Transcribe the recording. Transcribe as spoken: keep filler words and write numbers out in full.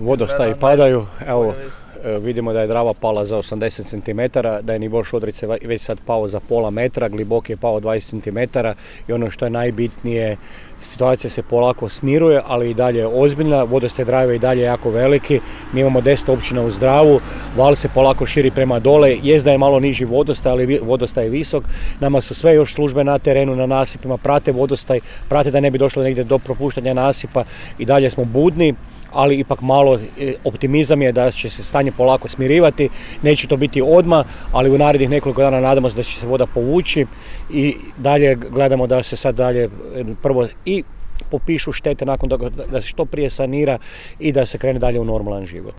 vodostaji padaju, evo vidimo da je Drava pala za osamdeset centimetara, da je nivo Šodrice već sad pao za pola metra, Glibok je pao dvadeset centimetara i ono što je najbitnije, situacija se polako smiruje, ali i dalje je ozbiljna, vodostaj Drave je i dalje jako veliki, mi imamo deset općina uz Dravu, val se polako širi prema dole, jest da je malo niži vodostaj, ali vodostaj je visok, nama su sve još službe na terenu, na nasipima, prate vodostaj, prate da ne bi došlo negdje do propuštanja nasipa, i dalje smo budni, ali ipak malo optimizam je da će se stanje polako smirivati, neće to biti odmah, ali u narednih nekoliko dana nadamo se da će se voda povući i dalje gledamo da se sad dalje prvo i popišu štete nakon toga, da se što prije sanira i da se krene dalje u normalan život.